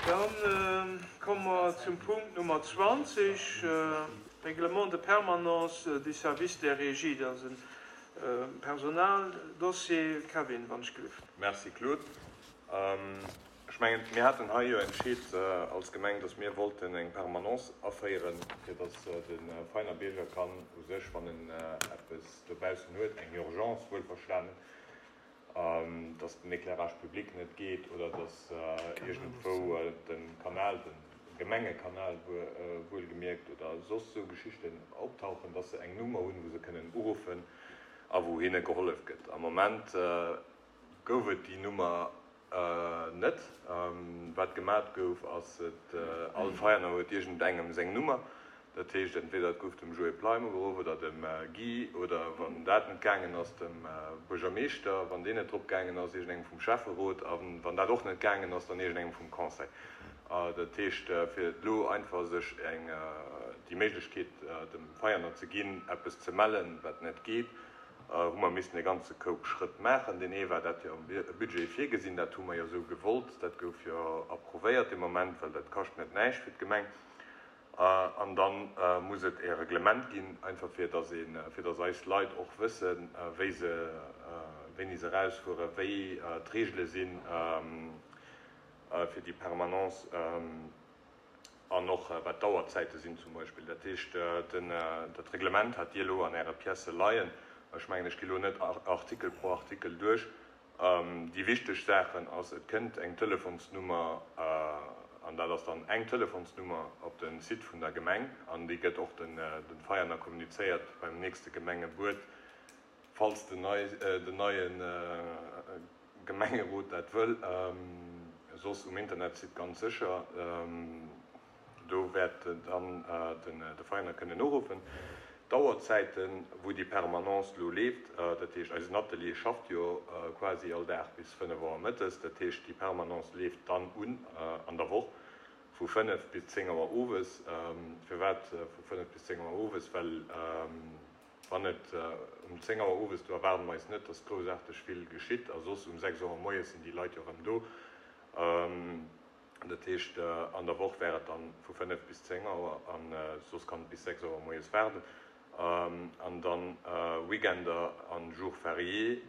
Dann komme mer zum Punkt Nummer 20, Règlement de permanence du service des régies. Dat ass e Personaldossier. Kevin, wann ech gelift. Merci, Claude. Ech mengen, mir haten hei jo entscheet als Gemeng, dass mir wollten eng Permanence aféieren, fir dass de Veiner Bierger kann u sech, wann en eppes dobaussen huet, eng Urgence wuelverstanen, dass den Éclairage public net geet oder dass iergendwou de Kanal, de Gemengekanal wuelgemierkt, oder soss esou Geschichten optauchen, dass se eng Nummer hunn, wou se kënnen uruffen a wou hinne gehollef gëtt. Am Moment gouf et déi Nummer net. Wat gemat gouf, ass, et all Veierner huet iergendengem seng Nummer. Dat heescht, entweder et gouf dem Joé Pleim ugeruff oder dem Guy oder, wann dat net gaangen ass, dem Buergermeeschter, wann deen net drop gaangen ass, iergendengem vum Schäfferot a wann dat och net gaangen ass, dann iergendengem vum Conseil. Dat heescht, fir elo einfach sech eng déi Méiglechkeet dem Veierner ze ginn, eppes ze mellen, wat net geet, hu mer missen e ganze Koup Schrëtt maachen. Deen ee war dat jo am Budget virgesinn, dat hu mer jo esou gewollt, dat gouf jo approuvéiert dee Moment, well dat kascht net näischt fir d'Gemeng. An da muss et e Reglement ginn, einfach fir datt ee, fir datt eis Leit och wëssen, wéi se, wéini se erausfueren, wéi d'Regele sinn fir déi Permanence an och wat d'Auerzäite sinn zum Beispill. Dat heescht, den, dat Reglement hat Dir elo an Äre Piècë leien. Ech mengen, ech gi elo net Artikel pro Artikel duerch. Déi wichteg Saachen ass, et kënnt eng Telefonsnummer, an dat ass dann eng Telefonsnummer op de Site vun der Gemeng, an déi gëtt och de Veierner kommunizéiert beim nächste Gemengebuet, falls den neie Gemengerot dat wëll, soss um Internetsite ganz sécher. Do wäert dann de Veräiner kënnen uruffen. D'Auerzäiten, wou déi Permanence elo leeft, dat heescht eisen Atelier schafft jo quasi all Dag bis 5 Auer mëttes, dat heescht déi Permanence leeft dann un an der Woch vu 5 bis 10 Auer owes. Firwat vu 5 bis 10 Auer owes? Well wann et um 10 Auer owes, do erwaarde mer eis net, datt groussaarteg vill geschitt, a soss um 6 Auer moies sinn déi Leit jo erëm do. Dat heescht, an der Woch wär et dann vu 5 bis 10 Auer a soss kann et bis 6 Auer moies waarden. An dann Weekender an Jours fériés,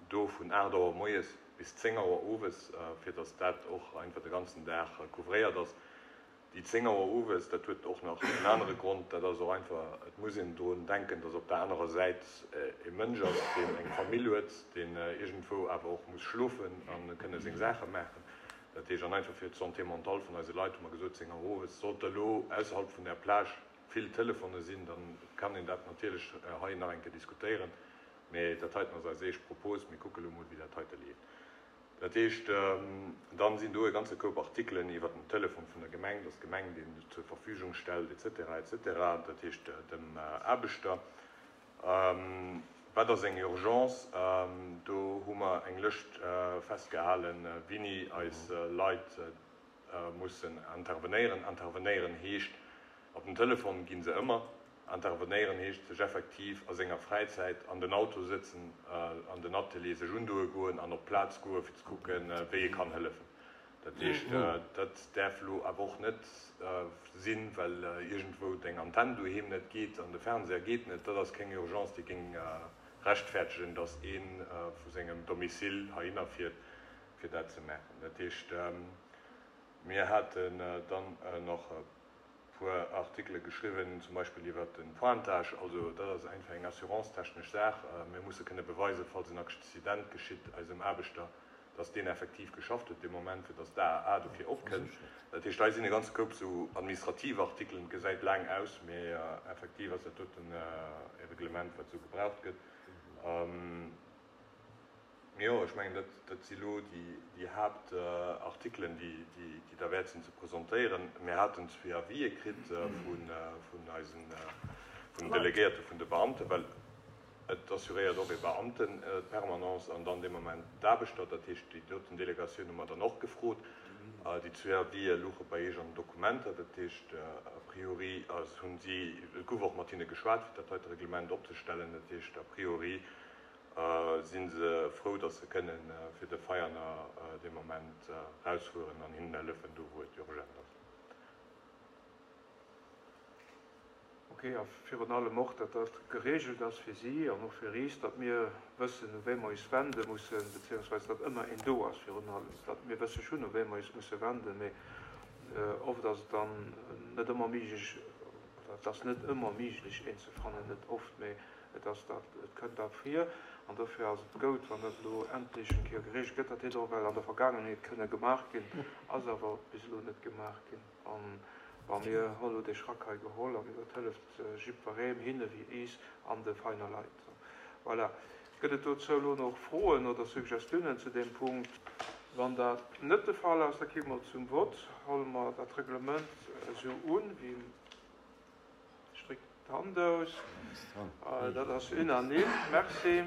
do vun 8 Auer moies bis 10 Auer owes, fir datt dat och einfach de ganzen Dag couvréiert ass. Déi 10 Auer owes, dat huet och nach en anere Grond, dat ass och einfach, et muss een drun denken, datt op der anerer Säit e Mënsch ass, deen eng Famill huet, deen iergendwou awer och muss schlofen a kënne seng Saache maachen. Dat heescht, an einfach fir d'Santé mentale vun eise Leit hu mer gesot, 10 Auer owes, sollt elo ausserhalb vun der Plage vill Telefone sinn, da kann een dat natierlech hei nach eng Kéier diskutéieren. Mee dat heiten ass eis éischt Propos. Mir kucke lo mol, wéi dat heite leeft. Dat heescht, dann sinn do e ganze Koup Artikelen iwwert den Telefon vun der Gemeng, dass d'Gemeng deen zur Verfügung stellt, et cetera, et cetera, dat heescht dem Aarbechter. Wat ass eng Urgence? Do hu mer eng Lëscht festgehalen, wéini eis Leit mussen intervenéieren. Intervenéieren heescht, op den Telefon gi se ëmmer. Intervenéieren heescht sech effektiv a senger Fräizäit an den Auto sëtzen, an den Atelier sech undoe goen an op d'Plaz goe fir ze kucken, wéi ee kann hëllefen. Dat heescht, dat däerf elo awer och net sinn, well iergendwou deng Antenn doheem net geet an de Fernseher geet net. Dat ass keng Urgence, déi géing rechtfertegen, datt ee vu sengem Domicile heihinner fiert, fir dat ze maachen. Dat heescht, mir haten dann nach e puer Artikele geschriwwen, zum Beispill iwwert de Pointage. Also dat ass einfach eng assurance-technesch Saach. Mir musse kënne beweisen, falls en Accident geschitt eisem Aarbechter, dass deen effektiv geschafft huet dee Moment, fir dass d'AAA dofir opkënnt. Dat heescht, hei sinn e ganze Koup esou administrativ Artikelen. Et gesäit laang aus, mee effektiv ass dat doten e Reglement, wat esou gebraucht gëtt. Jo, ech mengen, dat, dat si lo déi Haaptartikelen, déi, déi derwäert sinn ze presentéieren. Mir haten zwee Avisë kritt vun, vun eisen, vun den Delegéierte vun de Beamten, well et assuréiert och e Beamten d'Permanence an dann dee Moment d'Aarbechter. Dat heescht, déi doten Delegatioun hu mer dann och gefrot. Déi zwee Avisë louche bei Iech an den Dokumenter. Dat heescht, a priori hunn si, et gouf och mat hinne geschwat, fir dat heite Reglement opzestellen. Dat heescht, a priori. Si se frou, datt se kënne fir de Veianer dee Moment rausfueren an hinnen hëllefen do wou et urgent ass. Ok, a virun allem och, datt dat geregelt ass fir si an och fir is, datt mir wëssen, u wee mer is wende mussen, beziehungsweise datt ëmmer een do ass virun allem, datt mir wësse schonn, u wee mer is musse wenden, mee oft ass et dann net ëmmer méiglech, oder et ass net ëmmer méiglech, een ze fannen, net oft, mee et ass dat, et kënnt dat vir. An dofir ass et goud, wann dat elo endlech eng Kéier geregelt gëtt. Dat hätt och well an der Vergaangenheet kënne gemaach ginn, ass awer bis elo net gemaach ginn. An bon, mir hunn elo dee Schrack hei geholl an dat hëlleft jiddweree, hinne wéi iis an de feiner Leit. Voilà. Gëtt et dozou elo nach Froen oder Suggestiounen zu deem Punkt? Wann dat net de Fall ass, da gi mer zum Vott. Huele mer dat Reglement esou un, wéi. Ech drécken d'Hand aus. Dat ass unanime. Merci.